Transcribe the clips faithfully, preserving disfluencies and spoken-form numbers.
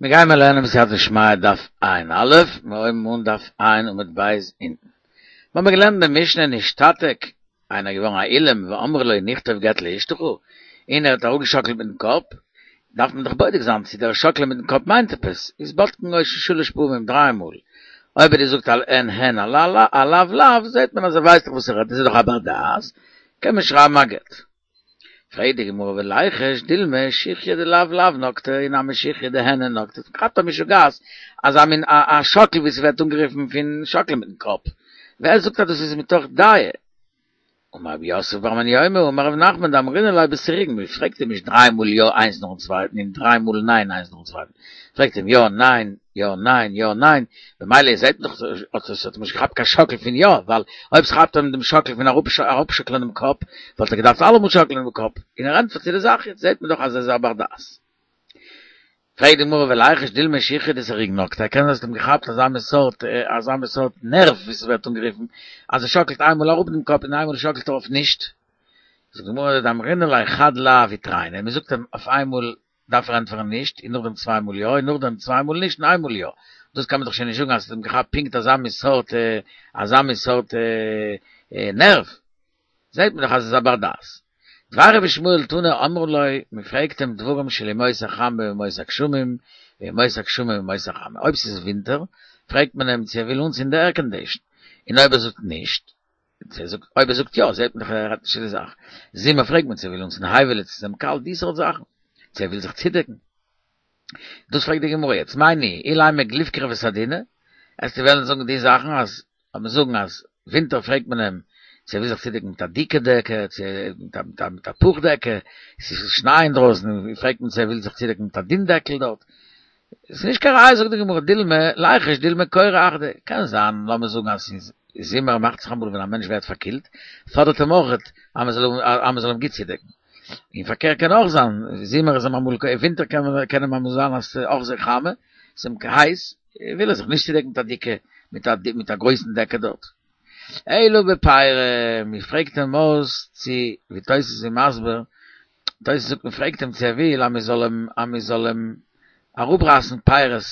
מיר גייען מיר לערנען בסייעתא דשמיא דף ע"א, מיר הויבן אן דף ע' עמוד ב' אונטן. מיר האבן געלערנט במשנה נשתתק, איינער איז געווארן א אילם ואמרו לו נכתוב גט לאשתך, און ער האט אראפגעשאקלט מיטן קאפ, דארף מען דאך בודק זיין צו דער שאקלען מיטן קאפ מיינט עפעס, איז בודקין אותו שלש פעמים, דריי מאל. אויב ער זאגט א הן הן א לאו לאו, זעט מען אז ער ווייסט דאך וואס ער רעדט, עס איז דאך א בר דעת, קען מען שרייבן א גט. פרעגט די גמרא וליחוש דילמא שיחיא דלאו לאו נקטיה אי נמי שיחיא דהן הן נקטיה, כאפט א משוגעת אזא מין א שאקל ווי ס'ווערט אנגערופן פון שאקלען מיטן קאפ, ווער זאגט אז דאס איז מתוך דעה? אמר רב יוסף בר מניומי אמר רב נחמן דאמרינן ליה בסירוגין, מען פרעגט אים נישט דריי מאל יא איינס נאכן צווייטן און דריי מאל ניין איינס נאכן צווייטן, פרעגט אים יא ניין יא ניין יא ניין, במילא זעט מען דאך אז עס האט אים נישט געכאפט קיין שאקל פון יא, ווייל אויב ס'כאפט אים דעם שאקל פון אראפשאקלען דעם קאפ, וואלט ער געדארפט אלעמאל שאקלען דעם קאפ, און ער ענטפערט צו די זאך, יעצט זעט מען דאך אז ער איז א בר דעת. פרעגט די גמרא וליחוש דילמא שיחיא דסירוגין נקטיה, קען זיין אז עס האט אים געכאפט אזא מין סארט אזא מין סארט נערוו ווי ס'ווערט אנגערופן, אז ער שאקלט איינמאל אראפ דעם קאפ און איינמאל שאקלט ער אויף נישט. זאגט די גמרא דאמרינן ליה חד לאו ותרין, מען זאגט אים אויף איינמאל דארף ער ענטפערן נישט, און נאכדעם צוויי מאל יא, און נאכדעם צוויי מאל נישט און איינמאל יא. דאס קען מען דאך שוין נישט זאגן אז עס האט אים געכאפט פונקט אזא מין סארט אזא מין סארט נערוו. זעט מען דאך אז עס איז א בר דעת. דבר רבי ישמעאל תנא אמרו לו, מען פרעגט אים דברים של ימות החמה וימות הגשמים, וימות הגשמים וימות החמה. אויב ס'איז ווינטער, פרעגט מען אים צו ער וויל אנצינדן די עירקאנדישן, און אויב ער זאגט נישט, אויב ער זאגט יא, זעט מען דאך ער רעדט נישט צו די זאך. זומער פרעגט מען צו ער וויל אנצינדן הייוועלע, צו ס'איז אים קאלט, די סארט זאכן. צו ער וויל זיך צודעקן. דאס פרעגט די גמרא יעצט, מאי ניהו, אילימא גליף כרבי סדינא, עסטו וועלן זאגן די זאכן אז לאמיר זאגן אז ווינטער פרעגט מען אים צו ער וויל זיך צודעקן מיט א דיקע דעקע, צו מיט א פוך דעקע, עס איז שניי אינדרויסן, פרעגט מען צו ער וויל זיך צודעקן מיט א דין דעקל דארט. עס איז נישט קיין ראיה זאגט די גמרא, דילמא ליחוש דילמא קורא אחדי, קען זיין לאמיר זאגן אז ס'איז זומער מאכט זיך אמאל ווען א מענטש ווערט פארקילט, פאדערט אים אויך אז מען זאל אז מען זאל אים גוט צודעקן. און פארקערט קען אויך זיין, זומער איז אים אמאל, ווינטער קען אים אמאל זיין אז ס'איז אויך זייער חמה, ס'איז אים הייס, וויל ער זיך נישט צודעקן מיט א דיקע, מיט א מיט א גרויסן דעקע דארט. אלא בפירי, מען פרעגט אים אויס צו, ווי תוס' איז מסביר, תוס' זאגט מען פרעגט אים צו ער וויל אז מען זאל אים אז מען זאל אים אראפרייסן פירות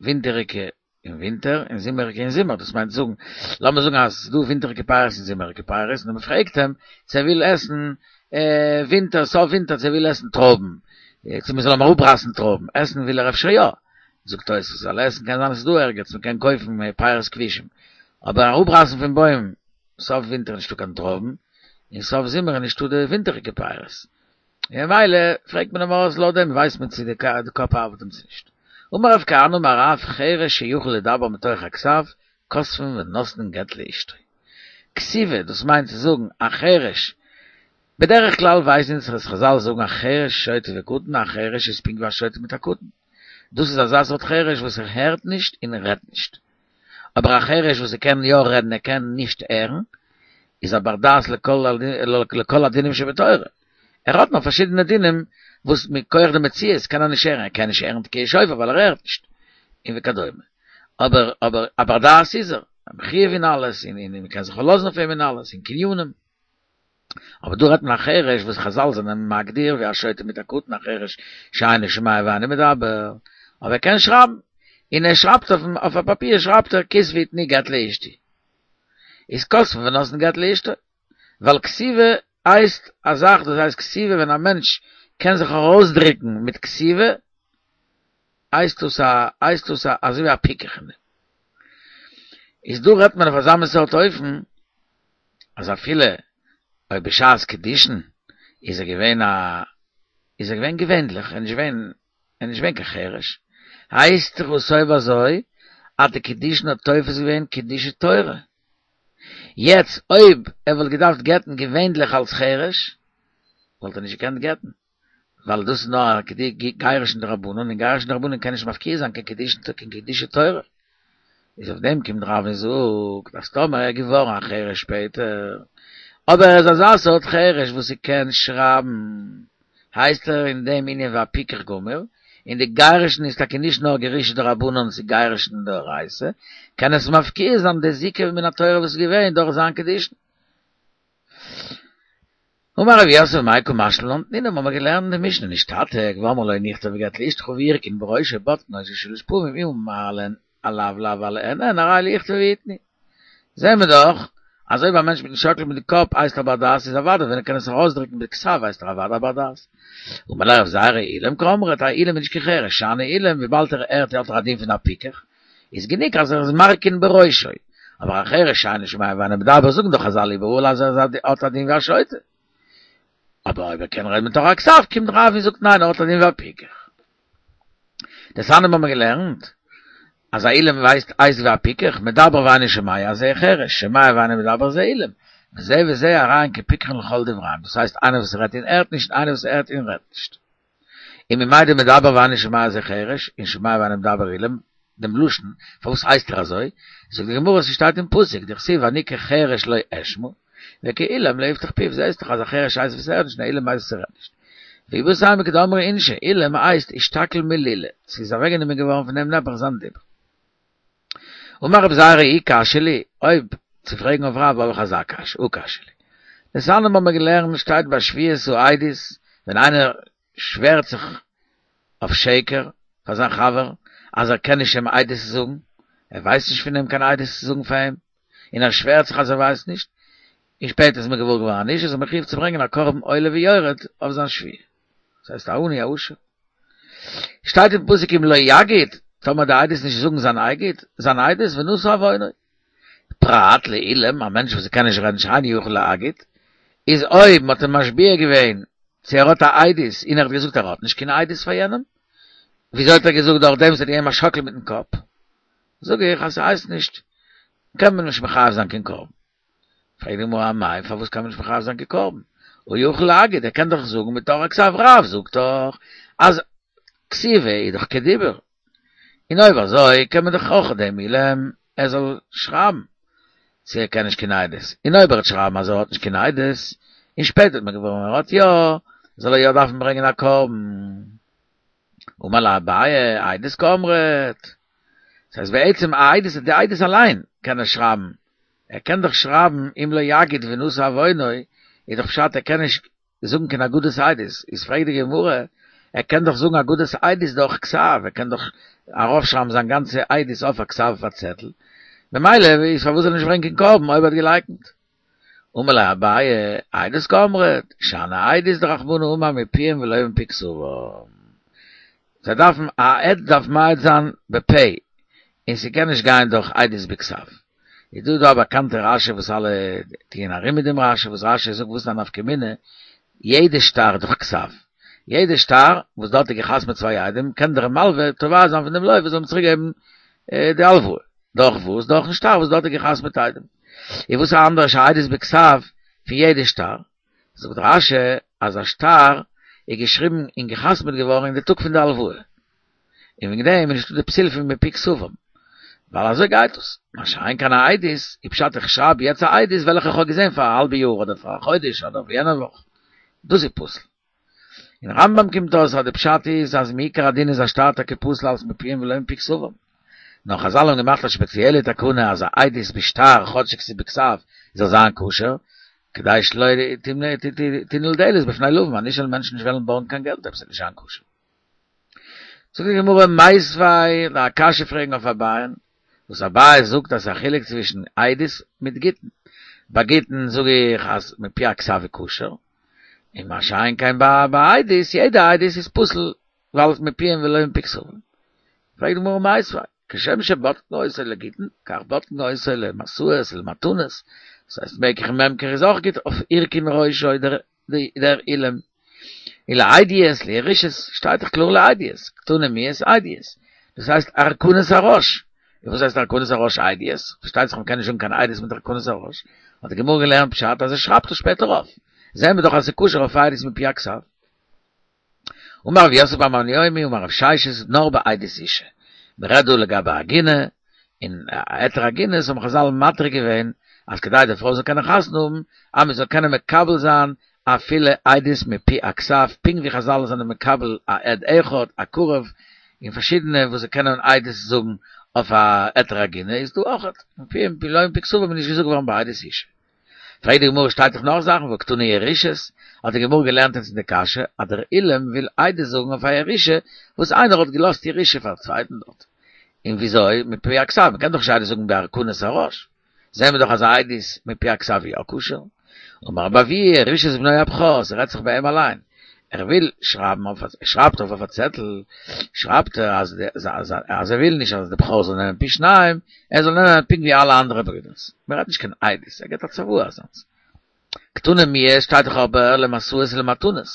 ווינטעריגע אין ווינטער און זומעריגע אין זומער, דאס מיינט זאגן, לאמיר זאגן אז ס'איז דא ווינטעריגע פירות און זומעריגע פירות, און מען פרעגט אים צו ער וויל עסן ווינטער, סוף ווינטער צו ער וויל עסן טרויבן, צו מען זאל אים אראפרייסן טרויבן, עסן וויל ער אפשר יא, זאגט תוספות, ווייל עסן קען זיין עס איז דא ערגעץ, מען קען קויפן פירות כבושים, אבער אראפרייסן פון בוים, סוף ווינטער איז נישטא קיין טרויבן, און סוף זומער איז נישטא די ווינטעריגע פירות. און ממילא פרעגט מען אים אויס לויט דעם ווייסט מען צו די קאפ ארבעט אים צו נישט. אמר רב כהנא אמר רב חרש שיכול לדבר מתוך הכתב כותבין ונותנין גט לאשתו. כתיבה דאס מיינט צו זאגן א חרש, בדרך כלל ווייסן אונז אז חזל זאגן א חרש שוטה וקטן א חרש איז פונקט ווי א שוטה מיט א קטן. דאס איז אזא סארט חרש וואס ער הערט נישט און רעדט נישט. אבער א חרש וואס ער קען יא רעדן ער קען נישט הערן, איז א בר דעת לכל הדינים שבתורה. ער האט נאר פארשידענע דינים וואס מכח די מציאות קען ער נישט הערן, ער קען נישט הערן תקיעת שופר ווייל ער הערט נישט, און וכדומה. אבער אבער א בר דעת איז ער, מחויב אין אלעס, און און מ'קען זיך פארלאזן אויף אים אין אלעס, אין קנינים. אבער דא רעדט מען א חרש וואס חזל זענען מגדיר ווי א שוטה מיט א קטן א חרש שאינו שומע ואינו מדבר, אבער ער קען שרייבן, און ער שרייבט אויף א פאפיר שרייבט ער כתבו ותנו גט לאשתי. איז כותבין ונותנין גט לאשתו. ווייל כתיבה הייסט א זאך דאס הייסט כתיבה ווען א מענטש קען זיך ארויסדריקן מיט כתיבה הייסט דאס א הייסט דאס א אזוי ווי א פיקח אין דעם. איז דא רעדט מען אויף אזא מין סארט אופן אז אפילו אויב בשעת קידושין איז ער געווען א איז ער געווען געווענליך ער איז נישט געווען ער איז נישט געווען קיין חרש, הייסט דאך עס אויב אזוי אז די קידושין האט תופס געווען קידושי תורה. יעצט אויב ער וואלט געדארפט גט'ן געווענליך אלס חרש, וואלט ער נישט געקענט גט'ן, ווייל דאס איז נאר א גירושין דרבנן, און גירושין דרבנן קען נישט מפקיע זיין קיין קידושין קיין קידושי תורה. איז אויף דעם קומט רב און זאגט אז טאמער ער איז געווארן א חרש שפעטער, אבער ער איז אזא סארט חרש וואס ער קען שרייבן, הייסט ער אין דעם ענין ווי א פיקח גמור, און די גירושין איז טאקע נישט נאר גירושין דרבנן ס'איז גירושין דאורייתא, קען עס מפקיע זיין די זיקה מן התורה וואס איז געווען דורך זיין קידושין. אמר רב יוסף מאי קא משמע לן תנינא האבן מיר געלערנט אין די משנה נשתתק ואמרו לו נכתוב גט לאשתך והרכין בראשו בודקין אותו שלש פעמים אם אמר להן עליו לאו עליהן אין הרי אלו יכתבו ויתנו. זעהן מיר דאך אז אויב א מענטש מיטן שאקל מיט די קאפ הייסט ער בר דעת איז אוודאי ווען ער קען עס ארויסדריקן בכתב הייסט ער אוודאי בר דעת. אמר ליה רב זירא אילם קאמרת א אילם איז נישט קיין חרש שאני אילם וויבאלד ער הערט האט ער א דין פון א פיקח איז גענוג אז ער איז מרכין בראשו אבער א חרש שאינו שומע ואינו מדבר זאגן דאך חזל איבעראל אז ער האט א דין ווי א שוטה. אבער אויב ער קען רעדן מתוך הכתב קומט רב און זאגט ניין ער האט א דין ווי א פיקח. דתניא האבן מיר געלערנט אז א אילם ווייסט הייסט ווי א פיקח, מדבר ואינו שומע זה חרש, שומע ואינו מדבר זה אילם, וזה וזה הרי הן כפיקחין לכל דבריהם, דאס הייסט איינער וואס רעדט און הערט נישט און איינער וואס הערט און רעדט נישט. וממאי דמדבר ואינו שומע זה חרש, און שומע ואינו מדבר אילם, דעם לשון, פארוואס הייסט ער אזוי? זאגט די גמרא ס'שטייט אין פסוק, דכתיב ואני כחרש לא אשמע, וכאילם לא יפתח פיו, זעהסט דאך אז א חרש הייסט וואס הערט נישט און א אילם הייסט וואס רעדט נישט. ואיבעית אימא כדאמרי אינשי, אילם הייסט אשתקיל מלילא, ס'איז אוועקגענומען געווארן פון דעם נעבעך זיין דיבור. אמר רב זירא אי קשיא לי, אויב צו פרעגן אויף רב האב איך אזא קשיא, הא קשיא לי. דתניא האבן מיר געלערנט שטייט ביי שבועת העדות, ווען איינער שווערט זיך אויף שקר פאר זיין חבר אז ער קען נישט אים עדות זאגן, ער ווייסט נישט פון אים קיין עדות צו זאגן פאר אים, און ער שווערט זיך אז ער ווייסט נישט, און שפעטער איז מען געוואר געווארן אז נישט, איז ער מחויב צו ברענגען א קרבן עולה ויורד אויף זיין שבועה. דאס הייסט א עני א עושר. שטייט אין פסוק אם לא יגיד, טאמער די עדות נישט זאגן זיין אייגעט, זיין עדות ונשא עוונו. פרט לאילם, א מענטש וואס קען נישט רעדן שאינו יכול להגיד, איז אויב מ'האט אים משביע געווען צו ער האט א עדות און ער האט געזאגט ער האט נישט קיין עדות פאר יענעם, וויאזוי האט ער געזאגט דורך דעם וואס ער האט געגעבן א שאקל מיטן קאפ, זאג איך אז ס'הייסט נישט, קען מען נישט מחייב זיין קיין קרבן. פרעגט די גמרא אמאי פארוואס קען מען נישט מחייב זיין קיין קרבן? הא יכול להגיד ער קען דאך זאגן מתוך הכתב רב זאגט דאך אז כתיבה איז דאך כדיבור, און אויב אזוי קען מען דאך אויך דעם אילם ער זאל שרייבן צו ער קען נישט קיין עדות, און אויב ער וועט שרייבן אז ער האט נישט קיין עדות, און שפעטער וועט מען געוואר ווערן ער האט יא, זאל ער יא דארפן ברענגען א קרבן. אמר ליה אביי, עדות קאמרת. דאס הייסט בעצם א עדות, די עדות אליין קען ער שרייבן, ער קען דאך שרייבן אם לא יגיד ונשא עוונו, איז דאך פשט ער קען נישט זאגן קיין אגודת עדות, איז פרעגט די גמרא, ער קען דאך זאגן אגודת עדות דורך כתב, ער קען דאך ארויפשרייבן זיין גאנצע עדות אויף א כתב אויף א צעטל, ממילא איז פארוואס זאל ער נישט ברענגען קיין קרבן אויב ער האט געלייקנט? אמר ליה אביי, עדות קאמרת, שאני עדות דרחמנא אמר מפיהם ולא מפי כתבם. זיי דארפן, א עד דארף מעיד זיין בפה, און ס'קען נישט גיין דורך עדות בכתב. איז דא דא א באקאנטע רשי וואס אלע טוען ארום מיט דעם רשי, וואס רשי זאגט וואס איז א נפקא מינה, יעדע שטר איז דאך כתב, יעדע שטר וואס דארט איז געחתמעט צוויי עדים קען דער מלווה תובע זיין פון דעם לוה זאל אים צוריק געבן די הלוואה, דורך וואס? דורכן שטר וואס דארט איז געחתמעט עדים. און וואס איז אנדערש א עדות בכתב פון יעדע שטר? זאגט רשי אז א שטר איז געשריבן און געחתמעט געווארן אין די טאג פון די הלוואה, און וועגן דעם איז נישטא די פסול פון מפי כתבם, ווייל אזוי גייט עס, מה שאין כן א עדות, איז פשט איך שרייב יעצט א עדות וועלכע איך האב געזען פאר א האלבע יאר אדער פאר א חודש אדער יענע וואך, דאס איז פסול. אין רמב"ם קומט אויס אז די פשט איז אז מעיקר הדין איז א שטר טאקע פסול אלס מפיהם ולא מפי כתבם. נאר חזל האבן געמאכט א שפעציעלע תקנה אז א עדות בשטר כאטשיג ס'איז בכתב זאל זיין כשר, כדי שלא תנעול דלת בפני לווים אז נישט זאלן מענטשן נישט וועלן בארגן קיין געלט אויב ס'וועט נישט זיין כשר. זאגט די גמרא מיתיבי א קשיא פרעגן אויף אביי'ן, וואס אביי זאגט אז ס'איז א חילוק צווישן עדות מיט גיטין, ביי גיטין זאג איך אז מפי הכתב איז כשר, און מה שאין כן ביי עדות, יעדע עדות איז פסול ווייל מפיהם ולא מפי כתבם. פרעגט די גמרא מיתיבי, כשם שבודקין אותו לגיטין, כך בודקין אותו למשאות ולמתנות, דאס הייסט מקח וממכר איז אויך גוט אויף הרכין ראשו דער אילם, און לעדיות לירושות שטייט דאך קלאר לעדיות, קתני מיהת עדיות, דאס הייסט הרכנת הראש, און וואס הייסט הרכנת הראש עדיות? פארשטייט זיך מ'קען נישט זאגן קיין עדות מיט הרכנת הראש, האט די גמרא געלערנט פשט אז ער שרייבט עס שפעטער אויף, זעהן מיר דאך אז ס'איז כשר אויף עדות מפי הכתב. אמר רב יוסף בר מניומי אמר רב ששת נאר בעדות אשה, מ'רעדט דא לגבי עגונה, און היתר עגונות האבן חזל מתיר געווען אז כדי די פרוי זאל קענען חתונה האבן אז מ'זאל קענען מקבל זיין אפילו עדות מפי הכתב, פונקט ווי חזל זענען מקבל א עד אחד, א קרוב, און פארשידענע וואס זיי קענען עדות זאגן אויף א היתר עגונה איז דא אויך מפיהם ולא מפי כתבם איז נישט געזאגט געווארן ביי עדות אשה. פרעגט די גמרא שטייט דאך נאך זאכן והא קתני ירושות, האט די גמרא געלערנט אונז אין די קשיא אז דער אילם וויל עדות זאגן אויף א ירושה וואס איינער האט געלאזט ירושה פאר א צווייטן דארט. און וויאזוי? מפי הכתב, מ'קען דאך נישט עדות זאגן בהרכנת הראש. זעהן מיר דאך אז עדות מפי הכתב איז יא כשר. אמר רבי אבהו ירושת בנו הבכור, ס'רעדט זיך ביי אים אליין. ער וויל שרייבן אויף א, ער שרייבט אויף אויף א צעטל, שרייבט ער אז אז ער וויל נישט אז די בכור זאל נעמען פי שניים, ער זאל נעמען פונקט ווי אלע אנדערע ברידערס. מ'רעדט נישט קיין עדות, ער געבט א צוואה אזאנס. קתני מיהת שטייט דאך אבער למשאות ולמתנות,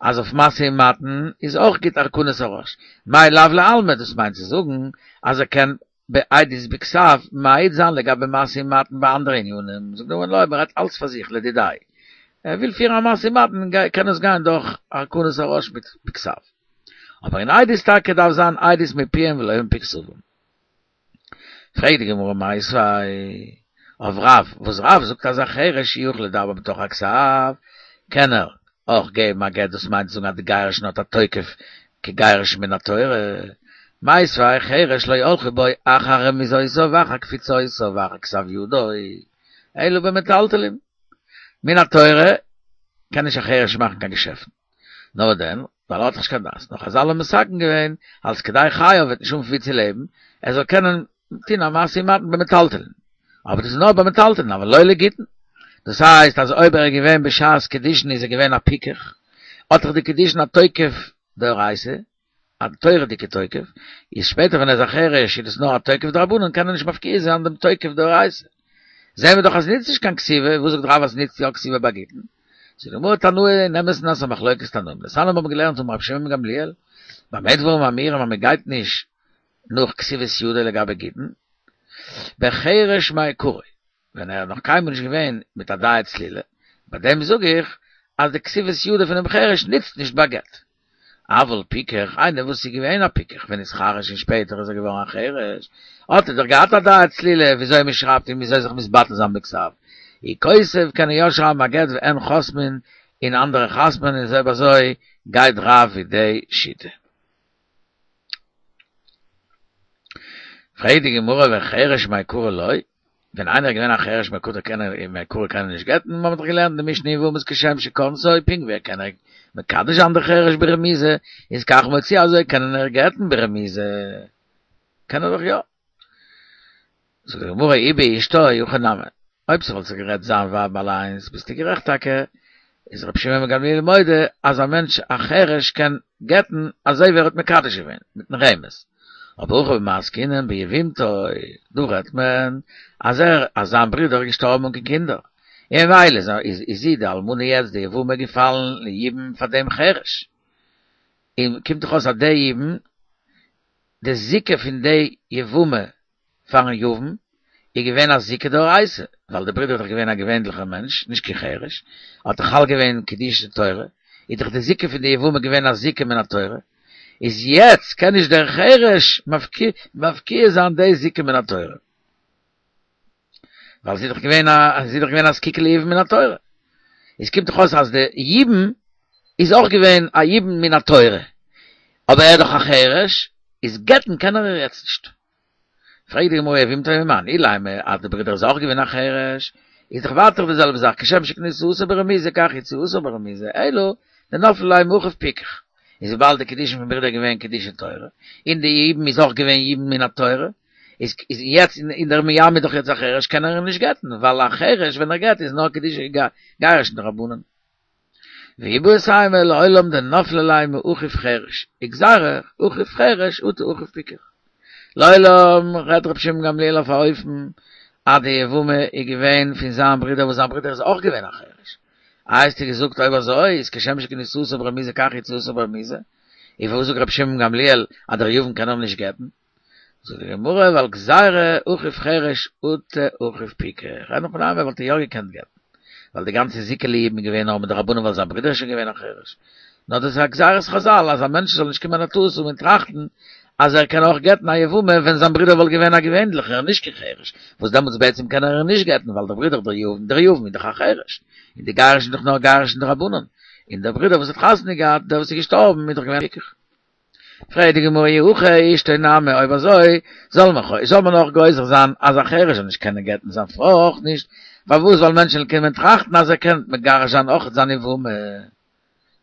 אז אויף משא ומתן איז אויך גוט הרכנת הראש. מאי לאו לעלמא, דאס מיינט צו זאגן אז ער קען בעדות בכתב מעיד זיין לגבי משא ומתן ביי אנדערע ענינים, זאגט די גמרא לא, מ'רעדט אלץ פאר זיך לדידיה, ער וויל פירן א משא ומתן קען עס גיין דורך הרכנת הראש מיט בכתב, אבער אין עדות טאקע דארף זיין עדות מפיהם ולא מפי כתבם. פרעגט די גמרא מיתיבי אויף רב, וואס רב זאגט אז א חרש יכול לדבר מתוך הכתב, קען ער אויך געבן א גט דאס מיינט זאגן אז די גירושין האט א תוקף כגירושין מן התורה, מיתיבי חרש לא הלכו בו אחר רמיזותיו ואחר קפיצותיו ואחר כתב ידו, אלא במטלטלין. מן התורה קען נישט א חרש מאכן קיין געשעפטן. נאר דען, ווייל ער האט דאך נישט קיין דעת. נאר חזל האבן מתקן געווען, אלס כדי חייו וועט נישט האבן פון וואו צו לעבן, ער זאל קענען טון א משא ומתן במטלטלין. אבער דאס איז נאר במטלטלין, אבל לא לגיטין. דאס הייסט אז אויב ער איז געווען בשעת קידושין איז ער געווען א פיקח, האט דאך די קידושין א תוקף דאורייתא, א תורה'דיגע תוקף, איז שפעטער ווען ער איז א חרש איז דאס נאר א תוקף דרבנן קען ער נישט מפקיע זיין דעם תוקף דאורייתא. זעהן מיר דאך אז ס'נוצט נישט קיין כתיבה, וואס זאגט רב אז ס'נוצט יא כתיבה ביי גיטין? זאגט די גמרא תנאי אין אמת'ן אז ס'איז א מחלוקת תנאים, דתניא מיר האבן געלערנט אמר רבי שמעון בן גמליאל, במה דברים אמורים אז מ'גייט נישט נאך כתיבת ידו לגבי גיטין, בחרש מעיקרא, ווען ער איז נאך קיינמאל נישט געווען מיט א דעת צלילה, ביי דעם זאג איך אז די כתיבת ידו פונעם חרש נוצט נישט ביי גט. אבל פיקח, איינער וואס איז געווען א פיקח ונתחרש און שפעטער איז ער געווארן א חרש, האט ער דאך געהאט א דעת צלילה וויאזוי מען שרייבט און וויאזוי זיך מתבטל זיין בכתב. הוא כותב קען ער יא שרייבן א גט והן חותמין און אנדערע חתמ'ן און אויב אזוי גייט רב ווי די שיטה. פרעגט די גמרא וחרש מעיקרא לא, ווען איינער איז געווען א חרש מעיקרא קען ער מעיקרא קען ער נישט גט'ן, מ'האט דאך געלערנט אין די משנה אין יבמות כשם שכונסו, פונקט ווי ער קען ער מקדש זיין די חרש ברמיזה, איז כך מוציאה אזוי קען ער גט'ן ברמיזה, קען ער דאך יא. זאגט די גמרא אי באשתו הכי נמי, אויב ס'וואלט זיך גערעדט זיין ווייב אליינס ביסטו גערעכט טאקע, איז רבי שמעון בן גמליאל מודה אז א מענטש א חרש קען גט'ן אזוי ווי ער האט מקדש געווען, מיטן רמז. אבער הכא במאי עסקינן ביבמתו, דא רעדט מען אז ער אז זיין ברודער איז געשטארבן אן קיין קינדער, און ממילא איז איז זי די אלמנה יעצט די יבמה געפאלן ליבום פאר דעם חרש, און קומט דאך אויס אז די יבום, די זיקה פון די יבמה פארן יבם איז געווען א זיקה דאורייתא, ווייל די ברודער איז דאך געווען א געווענליכער מענטש, נישט קיין חרש, האט דאך חל געווען קידושי תורה, איז דאך די זיקה פון די יבמה געווען א זיקה מן התורה, איז יעצט קען נישט דער חרש מפקיע זיין די זיקה מן התורה, ווייל זי איז דאך געווען א זי איז דאך געווען א זקוקה ליבם מן התורה, איז קומט דאך אויס אז די יבום איז אויך געווען א יבום מן התורה, אבער ער איז דאך א חרש, איז גט'ן קען ער איר יעצט נישט. פרעגט די גמרא יבמתו ממאן, אילימא אז די ברודער איז אויך געווען א חרש, איז דאך ווייטער די זעלבע זאך כשם שכניסתו ברמיזה כך יציאתו ברמיזה, אלא דנפלה ליה מאחיו פיקח, איז וויבאלד די קידושין פון ברודער איז געווען קידושי תורה, און די יבום איז אויך געווען יבום מן התורה, איז יעצט און דער מייבם איז דאך יעצט א חרש קען ער אים נישט גט'ן, ווייל א חרש ווען ער גט איז נאר קידושי גירושין דרבנן. ואיבעית אימא לעולם דנפלה ליה מאחיו חרש, וגזירה אחיו חרש אטו אחיו פיקח. לעולם רעדט רבי שמעון גמליאל אויף א אופן אז די יבמה איז געווען פון זיין ברודער וואס זיין ברודער איז אויך געווען א חרש. איי האסטו געזאגט אויב אזוי איז כשם שכניסתו ברמיזה כך יציאתו ברמיזה, און פארוואס זאגט רבי שמעון גמליאל אז דער יבם קען אים נישט גט'ן? זאגט די גמרא ווייל גזירה אחיו חרש אטו אחיו פיקח, אין הכי נמי וואלט ער יא געקענט גט'ן, ווייל די גאנצע זיקה ליבום איז געווען נאר מדרבנן ווייל זיין ברודער איז שוין געווען א חרש, נאר דאס איז א גזירת חזל אז א מענטש זאל נישט קומען א טעות האבן און טראכטן אז ער קען אויך גט'ן א יבמה ווען זיין ברודער וואלט געווען א געווענליכער נישט קיין חרש, וואס דעמאלטס בעצם קען ער איר נישט גט'ן ווייל דער ברודער דער יבם דער יבם איז דאך א חרש, און די גירושין איז דאך נאר גירושין דרבנן, און דער ברודער וואס האט חתונה געהאט דער וואס איז געשטארבן איז דאך געווען פיקח. פרעגט די גמרא אי הכי אשתו נמי, אויב אזוי זאל מען זאל מען אויך גוזר זיין אז א חרש זאל נישט קענען גט'ן זיין פרוי אויך נישט, פארוואס ווייל מענטשן קענען טראכטן אז ער קען מגרש זיין אויך זיין יבמה.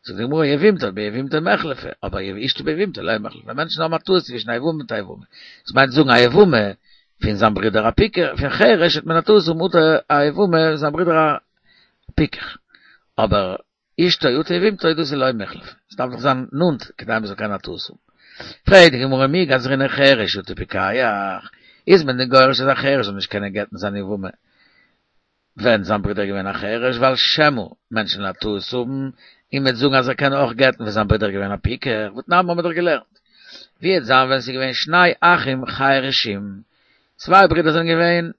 זאגט די גמרא יבמתו ביבמתו מיחלפא, אבער אשתו ביבמתו לא מיחלפא. מענטשן האבן א טעות צווישן א יבמה מיט א יבמה. דאס מיינט זאגן א יבמה פון זיין ברודער א פיקח, פון חרש האט מען א טעות און מותר א יבמה פון זיין ברודער א פיקח. אבער אשתו אטו יבמתו דאס איז לא מיחלפא. עס דארף דאך זיין נאנט כדי מען זאל קענען א טעות האבן. פרעגט די גמרא מי גזרינן חרש אטו פיקח, איז מען דען גורס אז א חרש זאל נישט קענען גט'ן זיין יבמה ווען זיין ברודער איז געווען א חרש, ווייל שמא מענטשן וועלן א טעות האבן און מ'וועט זאגן אז ער קען אויך גט'ן ווען זיין ברודער איז געווען א פיקח, והתנן האבן מיר דאך געלערנט. ווי וועט זיין ווען ס'איז געווען שני אחים חרשים, צוויי ברידער זענען געווען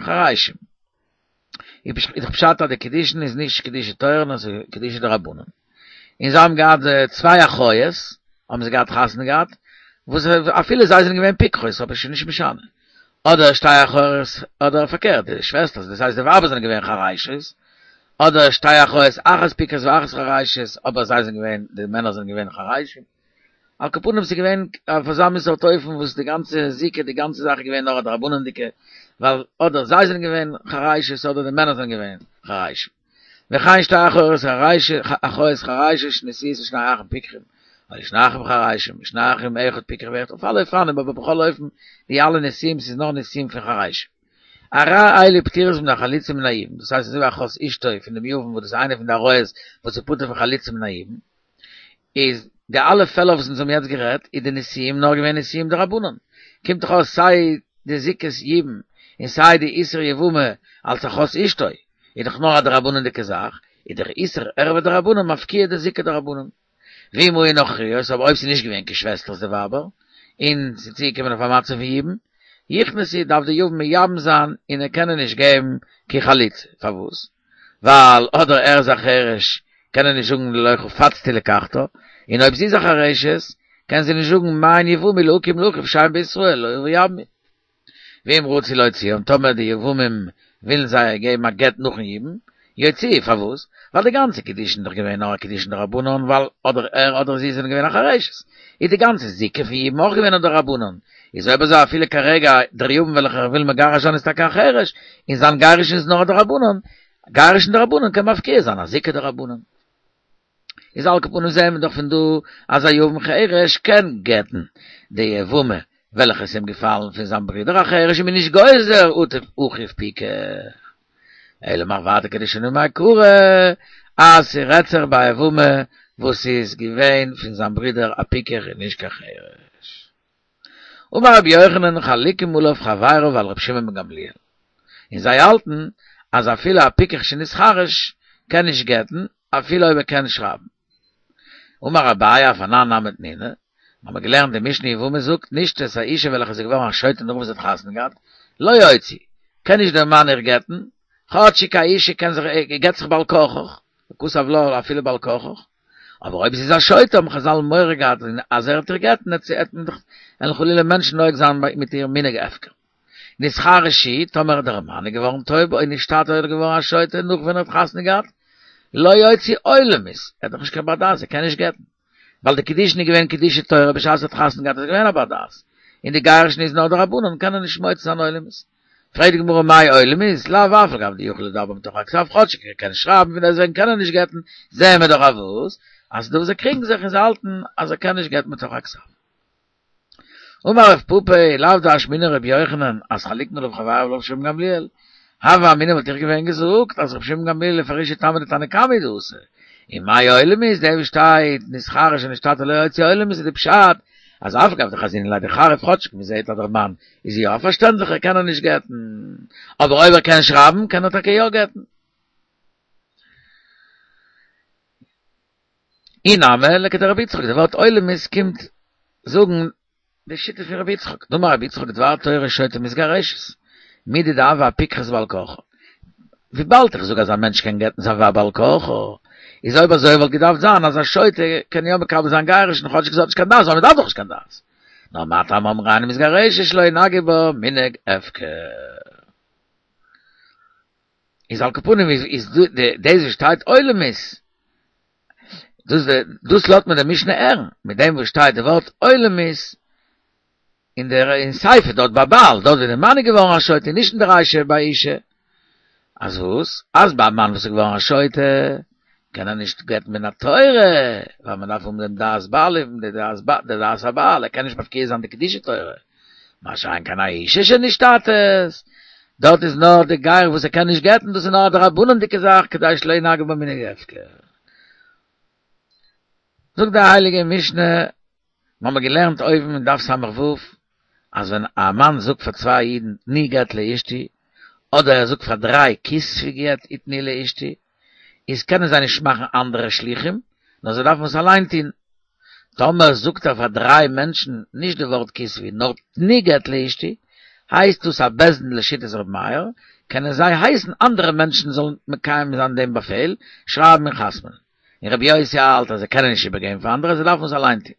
חרשים. איז דאך פשט אז די קידושין איז נישט קידושי תורה נאר ס'איז קידושי דרבנן. און זיי האבן געהאט צוויי אחיות, האבן זיי געהאט חתונה געהאט, וואס אפילו זיי זענען געווען פיקחות אבער ס'איז נישט משנה. אדער שתי אחיות, אדער פארקערט, די שוועסטערס, דאס הייסט די ווייבער זענען געווען חרשות, אדער שתי אחיות אחת פיקחת ואחת חרשת, אבער זיי זענען געווען, די מענער זענען געווען חרשים. על כל פנים ס'איז געווען אויף אזא מין סארט אופן וואס די גאנצע זיקה, די גאנצע זאך איז געווען נאר א דרבנן'דיגע, ווייל אדער זיי זענען געווען חרשות אדער די מענער זענען געווען חרשים. וכן שתי אחיות אחיות חרשות שנשואות לשני אחים פיקחים, אדער שני אחים חרשים, שני אחים אחד פיקח ואחד, אויף אלע אופנים אבער בכל אופן די אלע נישואים ס'איז נאר נישואים פון חרשים. הרי אלו פטורות מן החליצה ומן היבום, דאס הייסט אזוי ווי אחות אשתו פון דעם יבם וואס דאס איז איינע פון די עריות וואס איז פטור פון חליצה ומן היבום, איז די אלע פעלער וואס אונז האבן יעצט גערעדט איז די נישואים נאר געווען נישואים דרבנן, קומט דאך אויס סיי די זיקת יבום און סיי די איסור יבמה אלס אחות אשתו איז דאך נאר א דרבנן'דיגע זאך, איז דער איסור ערוה דרבנן מפקיע די זיקה דרבנן. ואם היו נכריות, אבער אויב ס'איז נישט געווען קיין שוועסטערס די ווייבער, און ס'איז צוגעקומען אויף א מצב פון יבום, יכנסו דארף די יבם מייבם זיין און ער קען איר נישט געבן קיין חליצה, פארוואס? ווייל אדער ער איז א חרש קען ער נישט זאגן לא חפצתי לקחתה, און אויב זי איז א חרשת קען זי נישט זאגן מאן יבמי להקים לאחיו שם בישראל לא יבמי. ואם רצו להוציאם, טאמער די יבמים ווילן זיי געבן א גט נאכן יבום, יוציאו, פארוואס? ווייל די גאנצע קידושין איז דאך געווען נאר א קידושין דרבנן, ווייל אדער ער אדער זי זענען געווען א חרשת, איז די גאנצע זיקה פון יבום אויך געווען א דרבנן, איז אויב אזוי אפילו כרגע דער יבם וועלכער וויל מגרש זיין איז טאקע א חרש, און זיין גירושין איז נאר א דרבנן, גירושין דרבנן קען מפקיע זיין א זיקה דרבנן. איז על כל פנים זעהן מיר דאך פון דא אז א יבם חרש קען גט'ן די יבמה וועלכע איז אים געפאלן פון זיין ברודער א חרש און מ'איז נישט גוזר אטו אחיו פיקח. אלא מאי ווייטער כדשנין מעיקרא אז ס'רעדט זיך ביי א יבמה וואס איז געווען פון זיין ברודער א פיקח און נישט קיין חרש. אמר רבי יוחנן חלוקים עליו חבריו ועל רבי שמעון בן גמליאל. און זיי האלטן אז אפילו א פיקח שנתחרש קען נישט גט'ן אפילו אויב ער קען שרייבן. אמר אביי אף אנן נמי תנינא, מיר האבן געלערנט די משנה יבמות זאגט נשתית א אישה וועלכע איז געווארן א שוטה נאך וואס זי האט חתונה געהאט, לא יוציא, קען נישט דער מאן איר גט'ן, כאטשיג א אישה קען זיך גט זיך בעל כרחך, וכתב לה אפילו בעל כרחך, אבער אויב זי איז א שוטה האבן חזל מורא געהאט אז ער וועט איר גט'ן וועט מען דאך וועלן חלילה מענטשן נוהג זיין מיט איר מנהג הפקר. נתחרש הוא, טאמער דער מאן איז געווארן טויב או נשתטה אדער געווארן א שוטה נאך ווען ער האט חתונה געהאט, לא יוציא עולמית, ער איז דאך נישט קיין בר דעת ער קען נישט גט'ן, ווייל די קידושין איז געווען קידושי תורה בשעת ער האט חתונה געהאט איז ער געווען א בר דעת, און די גירושין איז נאר דרבנן קען ער נישט מוציא זיין עולמית. פרעגט די גמרא מאי עולמית, לאו אף על גב דיכול לדבר מתוך הכתב, כאטשיג ער קען שרייבן פון דעסטוועגן קען ער נישט גט'ן, זעען מיר דאך אויף וואס, אז ס'דא וואס זיי קריגן זיך און זיי האלטן אז ער קען נישט גט'ן מתוך הכתב. אמר רב פפא, לאו דאשמעינן רבי יוחנן, אז חלוקין עליו חבריו ועל רבי שמעון בן גמליאל. הוה אמינא וואלט איך געווען געזאגט אז רבי שמעון בן גמליאל לפרושי טעמא דתנא קמא הוא דאתא. און מאי עולמית, דעם וואס שטייט נתחרש או נשתטה לא יוציא עולמית איז די פשט אז אף על גב דחזינן ליה דחריף כאטשיג מען זעהט אז דער מאן איז יא פארשטענדליך קען ער נישט גט'ן אבער אויב ער קען שרייבן קען ער טאקע יא גט'ן. אי נמי לכדרבי יצחק, די ווארט עולמית קומט זאגן די שיטה פון רבי יצחק, דאמר רבי יצחק דבר תורה שוטה מתגרשת, מידי דהוה אפיקחת בעל כרחה, וויבאלד איך זאג אז א מענטש קען גט'ן זיין ווייב בעל כרחו, איז אויב אזוי וואלט געדארפט זיין אז א שוטה קען יא מקבל זיין גירושין כאטשיג זי האט נישט קיין דעת, ווייל מען דארף דאך נישט קיין דעת. נאר מה טעם אמרו אינה מתגרשת שלא ינהגו בה מנהג הפקר. איז על כל פנים איז דאס וואס שטייט עולמית, דאס דאס לאזט מיר די משנה הערן, מיט דעם וואס שטייט די ווארט עולמית אין דער אין סיפא דארט ביי בעל, דארט ווי דער מאן איז געווארן א שוטה, נישט אין די רישא ביי אישה, אז וואס? אז ביי א מאן וואס איז געווארן א שוטה, קען ער נישט גט'ן מן התורה, ווייל מען דארף האבן דעם דעת בעלים, די דעת הבעל, ער קען נישט מפקיע זיין די קדושי תורה. מה שאין כן א אישה שנשתטית, דארט איז נאר די גר וואס ער קען נישט גט'ן, דאס איז נאר א דרבנן'דיגע זאך, כדי שלא ינהגו בה מנהג הפקר. זאגט די הייליגע משנה, מיר האבן געלערנט אויבן אין דף ס"ו, אז ווען א מאן זאגט פאר צוויי אידן תנו גט לאשתי, אדער ער זאגט פאר דריי כתבו גט ותנו לאשתי, איז קענען זיי נישט מאכן אנדערע שליחים, נאר זיי דארפן עס אליין טון. טאמער זאגט ער פאר דריי מענטשן נישט די ווארט כתבו נאר תנו גט לאשתי, הייסט דאס א בית דין לשיטת ר' מאיר, קענען זיי הייסן אנדערע מענטשן זאלן מקיים זיין דעם באפעל, שרייבן און חתמ'נען. און רבי יוסי האלט אז זיי קענען נישט איבערגעבן פאר אנדערע, זיי דארפן עס אליין טון.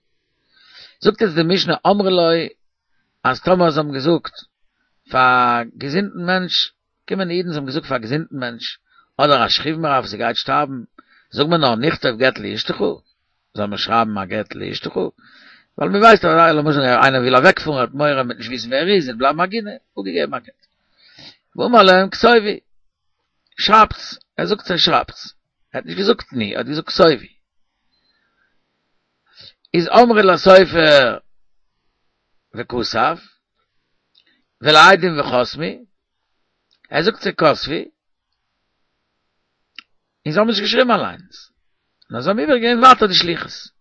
זאגט יעצט די משנה אמרו לו אז טאמער זיי האבן געזאגט פאר א געזונטן מענטש, קומען אידן זיי האבן געזאגט פאר א געזונטן מענטש, אדער א שכיב מרע וואס גייט שטארבן, זאג מיר נאר נכתוב גט לאשתך, זאל מען שרייבן א גט לאשתך, ווייל מען ווייסט אז למשל איינער וויל אוועקפארן ער האט מורא מ'וועט נישט וויסן ווער ער איז, עס וועט בלייבן עגונה, אפגעגעבן א גט. ואמר להם כתובו, שרייבטס, ער זאגט זיי שרייבטס, ער האט נישט געזאגט תנו, ער האט געזאגט כתובו. איז אמרו לסופר וכתב, ולעדים וחתמו, ער זאגט זיי כתבו, און זיי האבן נישט געשריבן אליינס, נאר זיי האבן איבערגעגעבן ווייטער די שליחות.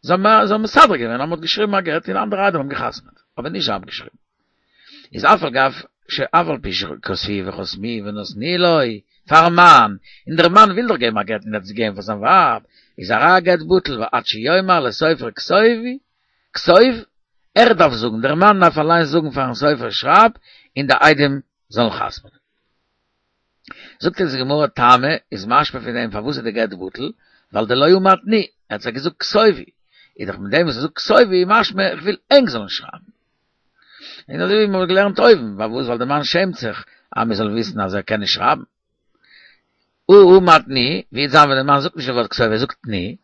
זיי האבן מסדר געווען אז מען האט געשריבן א גט און אנדערע עדים האבן געחתמעט, אבער נישט זיי האבן געשריבן. איז אף על גב שאף על פי שכתבו וחתמו ונתנו לו, פארן מאן, און דער מאן וויל דאך געבן א גט און ער האט עס געגעבן פאר זיין ווייב, איז הרי הגט בטל ועד שיאמר לסופר כתובו, כתוב, ער דארף זאגן, דער מאן דארף אליין זאגן פארן סופר שרייב, און די עדים זאלן חתמ'נען. זאגט אונז די גמרא טעמא איז משמע פון דעם פארוואס איז די גט בטל, ווייל דלא אמר תנו, ער האט זיי געזאגט כתובו, איז דאך מיט דעם וואס ער זאגט כתובו איז משמע איך וויל ענק זאלן שרייבן. און אזוי ווי מ'האט געלערנט אויבן, פארוואס ווייל די מאן שעמט זיך אז מ'זאל וויסן אז ער קען נישט שרייבן. הא אמר תנו, ווי וועט זיין ווען די מאן זאגט נישט די ווארט כתובו ער זאגט תנו,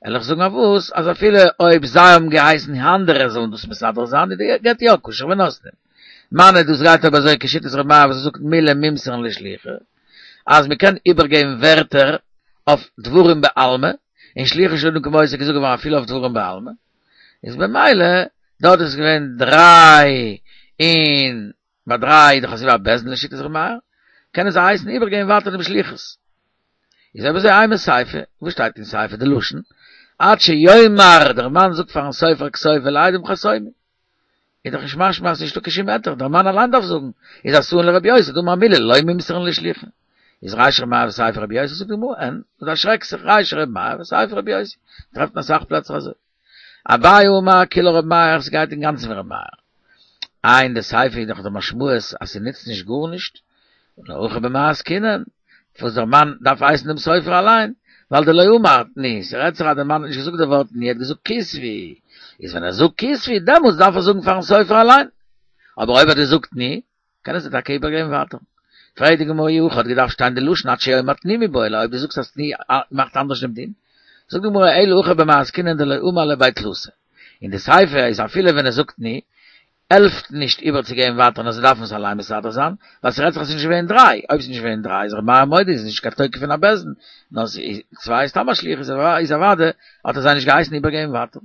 וועל איך זאגן אויף וואס אז אפילו אויב זיי האבן געהייסן אנדערע זאלן דאס מסדר זיין איז די גט יא כשר ונותנין. מני דאס גייט אויב אזוי כשיטת ר' מאיר וואס ער זאגט מילי מימסרן לשליחא אז מען קען איבערגעבן ווערטער אויף דברים בעלמא, און שלוחו של אדם כמותו איז געזאגט געווארן אפילו אויף דברים בעלמא, איז במילא דארט איז געווען דריי און ביי דריי איז דאך אזוי ווי א בית דין לשיטת ר' מאיר, קענען זיי הייסן איבערגעבן ווייטער דעם שליחות. איז אויב אזוי אימא סיפא, וואס שטייט אין סיפא די לשון? עד שיאמר, דער מאן זאגט פארן סופר כתוב ולעדים חתמו. איז דאך נישט משמע אז ס'נישטא קיין שום היתר, דער מאן אליין דארף זאגן, איז אתאן לרבי יוסי, דאמר מילי לא מימסרן לשליחא. איז רישא ר' מאיר וסיפא רבי יוסי, זאגט די גמרא, אין, דו דערשרעקסט זיך, רישא ר' מאיר וסיפא רבי יוסי, מ'טרעפט אין אסאך פלעצער אזוי. אביי אמר כולה ר' מאיר, ס'גייט אינגאנצן ווי ר' מאיר. איי אין די סיפא איז דאך די משמעות אז ס'נוצט נישט גארנישט, און הכא במאי עסקינן, וואס דער מאן דארף הייסן דעם סופר אליין, ווייל דלא אמר תנו, ס'רעדט זיך אז דער מאן האט נישט געזאגט די ווארט תנו, ער האט געזאגט כתבו, איז ווען ער זאגט כתבו דעמאלטס דארף ער זאגן פארן סופר אליין, אבער אויב ער האט געזאגט תנו, קען ער עס טאקע איבערגעבן ווייטער. פרעגט די גמרא אי הכי האט געדארפט שטיין די לשון עד שיאמר תנו מיבעי ליה, אויב דו זאגסט אז תנו מאכט אנדערש דעם דין, זאגט די גמרא אלא הכא במאי עסקינן דלא אמר ליה בי תלתא, אין די סיפא איז אפילו ווען ער זאגט תנו, העלפט נישט איבערצוגעבן ווייטער נאר זיי דארפן עס אליין מסדר זיין, ווייל ס'רעדט זיך אז ס'איז נישט געווען דריי, אויב ס'איז נישט געווען דריי איז ר' מאיר מודה איז נישט קיין תוקף פון א בית דין, נאר צוויי איז סתם א שליח איז אוודאי האט ער זיי נישט געהייסן איבערגעבן ווייטער.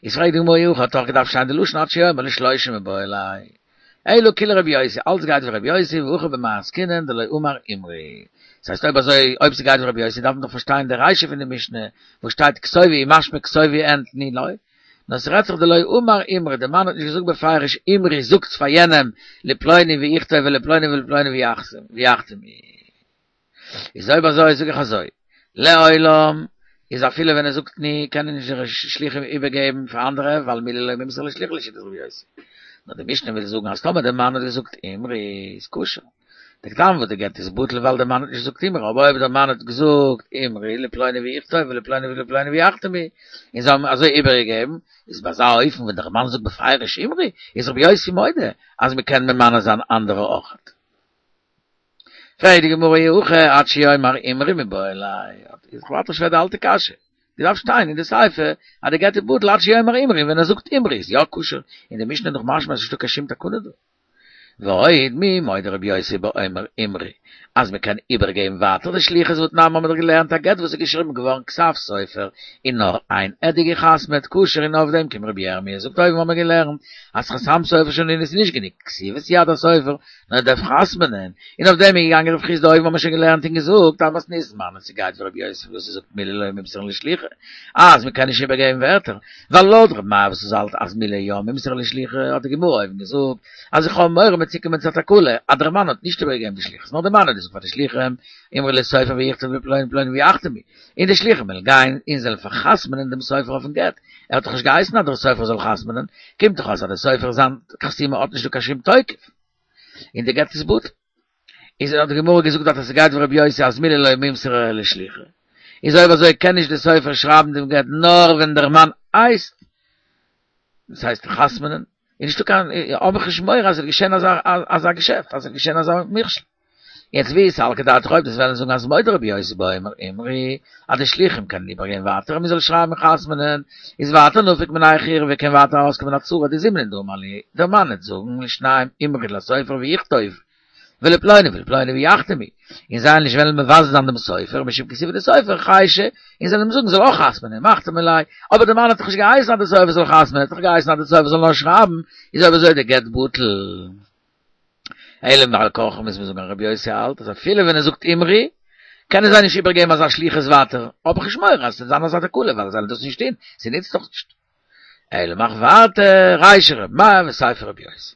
איז פרעגט די גמרא אי הכי האט דאך געדארפט שטיין די לשון עד שיאמר לשלושה מיבעי ליה, אלא כולה רבי יוסי, אלץ גייט ווי רבי יוסי והכא במאי עסקינן דלא אמר אמרי. ס'הייסט אויב אזוי אויב ס'גייט ווי רבי יוסי דארף מען דאך פארשטיין די רישא פון די משנה וואס שטייט כתובו איז משמע כתובו און תנו לא, נאר ס'רעדט זיך דלא אמר אמרי, די מאן האט נישט געזאגט בפירוש אמרי זאגטס פאר יענעם לפלוני ויכתוב ולפלוני ולפלוני ויחתמו. איז אויב אזוי זאג איך אזוי, לעולם איז אפילו ווען ער זאגט תנו קענען נישט די שליחים איבערגעבן פאר אנדערע ווייל מילי לא מימסרן לשליחא לשיטת רבי יוסי. נאר די משנה וויל זאגן אז טאמער די מאן האט געזאגט אמרי איז כשר. דער טעם וואס די גט איז בטל ווייל דער מאן האט נישט געזאגט אמרי, אבער אויב דער מאן האט געזאגט אמרי לפלוני ויכתוב ולפלוני ולפלוני ויחתמו, און זיי האבן אזוי איבערגעגעבן, איז ביי אזא אופן ווען דער מאן זאגט בפירוש אמרי, איז רבי יוסי מודה אז מען קען ממנה זיין אנדערע אויכעט. פרעגט די גמרא אי הכי עד שיאמר אמרי מיבעי ליה, איז דאך ווייטער שווער די אלטע קשיא, דארף שטיין אין די סיפא אז די גט איז בטל עד שיאמר אמרי, ווען ער זאגט אמרי איז יא כשר, אין די משנה איז דאך משמע אז ס'נישטא קיין שום תקנה דא. ועוד מי מודה רבי יוסי באומר אמרי, אז מען קען איבערגעבן ווייטער די שליחות והתנן האבן מיר דאך געלערנט א גט וואס איז געשריבן געווארן כתב סופר און נאר איין עד האט געחתמעט כשר און אויף דעם קומט רבי ירמי' זאגט אויבן האבן מיר געלערנט אז חתם סופר שנינו איז נישט גענוג כתיבת יד הסופר נאר ער דארף חתמ'נען און אויף דעם איז געגאנגען רב חסדא אויבן האבן מיר שוין געלערנט און געזאגט אז מתניתין מני ס'גייט ווי רבי יוסי וואס ער זאגט מילי לא מימסרן לשליחא אז מען קען נישט איבערגעבן ווערטער ווייל לויט רבי מאיר וואס עס האלט אז מילי יא מימסרן לשליחא האט די גמרא אויבן געזאגט אז איך האב מורא מ'וועט צוקומען צו א תקלה אז דער מאן האט נישט איבערגעגעבן די שליחות נאר דער מאן האט געזאגט פאר די שליחים אמרו לסופר ויכתוב לפלוני ופלוני ויחתמו און די שליחים וועלן גיין און זאלן פארחתמ'נען דעם סופר אויפן גט ער האט דאך נישט געהייסן אז דער סופר זאל חתמ'נען קומט דאך אויס אז דער סופר זיין חתימה האט נישט דא קיין שום תוקף און די גט איז בטל איז האט די גמרא געזאגט דארט אז ס'גייט ווי רבי יוסי אז מילי לא מימסרן לשליחא איז אויב אזוי קען נישט די סופר שרייבן דעם גט נאר ווען דער מאן הייסט דאס הייסט חתמ'נען איז נישטא קיין האב איך נישט מורא אז עס וועט געשען אזא אזא געשעפט אז עס וועט געשען אזא מכשול יעצט ואי סלקא דעתך אויב דו'סט וועלן זאגן אז מודה רבי יוסי באומר אמרי אז די שליחים קענען איבערגעבן ווייטער אז מען זאל שרייבן חתמ'נען איז ווייטער נפיק מינה חיורא ווי קען ווייטער ארויסקומען א צרה דזימנין דאמר להו דער מאן וועט זאגן לשניים אמרי לסופר ויכתוב ולפלוני ולפלוני ויחתמו און זיי נישט וועלן מבזה זיין דעם סופר משום כתיבה דסופר חיישי און זיי וועלן אים זאגן זאל אויך חתמ'נען מחתמי ליה אבער דער מאן האט דאך נישט געהייסן אז דער סופר זאל חתמ'נען ער האט דאך געהייסן אז דער סופר זאל נאר שרייבן איז אויב אזוי דער גט בטל אלא בעל כרחך מוז מען זאגן אז רבי יוסי האלט אז אפילו ווען ער זאגט אמרי קענען זיי נישט איבערגעבן אזא שליחות ווייטער האב איך נישט מורא אז ס'וועט זיין אזא תקלה ווייל זיי וועלן דאס נישט טון ס'נוצט דאך נישט אלא מאך ווייטער רישא רבי מאיר וסיפא רבי יוסי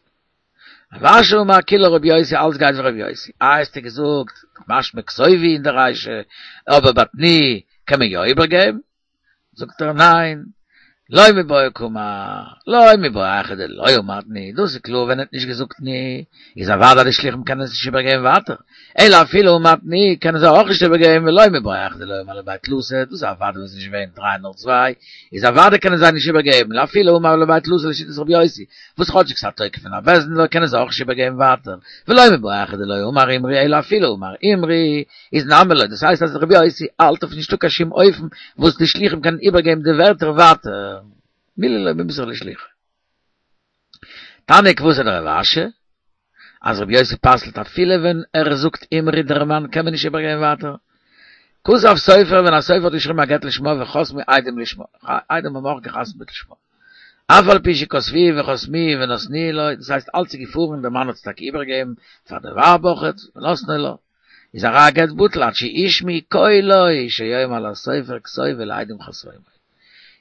רב אשי אמר כולה רבי יוסי אלץ גייט ווי רבי יוסי איי האסטו געזאגט משמע כתובו אין די רישא אבער ביי תנו קען מען יא איבערגעבן זאגט ער ניין לא מיבעיא קאמר, לא מיבעיא היכא דלא אמר תנו, דאס איז קלאר ווען ער האט נישט געזאגט תנו, איז אוודאי די שליחים קענען עס נישט איבערגעבן ווייטער, אלא אפילו אמר תנו קענען זיי אויך נישט איבערגעבן ולא מיבעיא היכא דלא אמר לבי תלתא, דאס איז אוודאי ווען עס איז נישט געווען דריי נאר צוויי, איז אוודאי קענען זיי נישט איבערגעבן, אפילו אמר לבי תלתא לשיטת רבי יוסי, וואס כאטשיג ס'האט תוקף פון א בית דין קענען זיי אויך נישט איבערגעבן ווייטער, ולא מיבעיא היכא דלא אמר אמרי אלא אפילו אמר אמרי איז נמי לא, דאס הייסט אז רבי יוסי האלט אויף נישטא קיין שום אופן וואס די שליחים קענען איבערגעבן די ווערטער ווייטער, מילי לא מימסרן לשליחא. תניא כוותיה דרב אשי, אז רבי יוסי פסל'ט אפילו ווען ער זאגט אמרי דער מאן קען מען נישט איבערגעבן ווייטער. כתב סופר ווען א סופר האט געשריבן א גט לשמה וחתמו עדים לשמה, עדים האבן אויך געחתמ'ט לשמה. אף על פי שכתבוהו וחתמוהו ונתנוהו לו, דאס הייסט אלץ איז געפארן דער מאן האט עס טאקע איבערגעגעבן פאר די ווייב אויכעט, ונתנו לה, איז הרי הגט בטל עד שישמעו קולו שיאמר לסופר כתוב ולעדים חתום.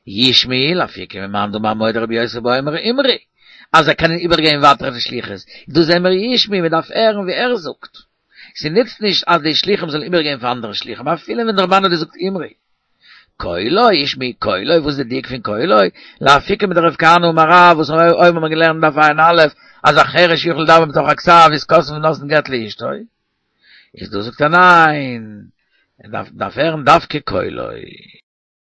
ישמעו לאפוקי ממאן דאמר מודה רבי יוסי באומר אמרי, אז זיי קענען איבערגעבן ווייטער די שליחות, דא זעען מיר ישמעו מען דארף הערן ווי ער זאגט, ס'נוצט נישט אז די שליחים זאלן איבערגעבן פאר אנדערע שליחים אפילו ווען דער מאן האט געזאגט אמרי. קולו, ישמעו קולו, וואס איז די דיוק פון קולו? לאפוקי מדרב כהנא אמר רב, וואס אויבן האט מען געלערנט דף ע"א, אז החרש יוכל לדבר מתוך הכתב איז כותבין ונותנין גט לאשתו. איז דא זאגט ער ניין, ער דארף הערן דווקא קולו.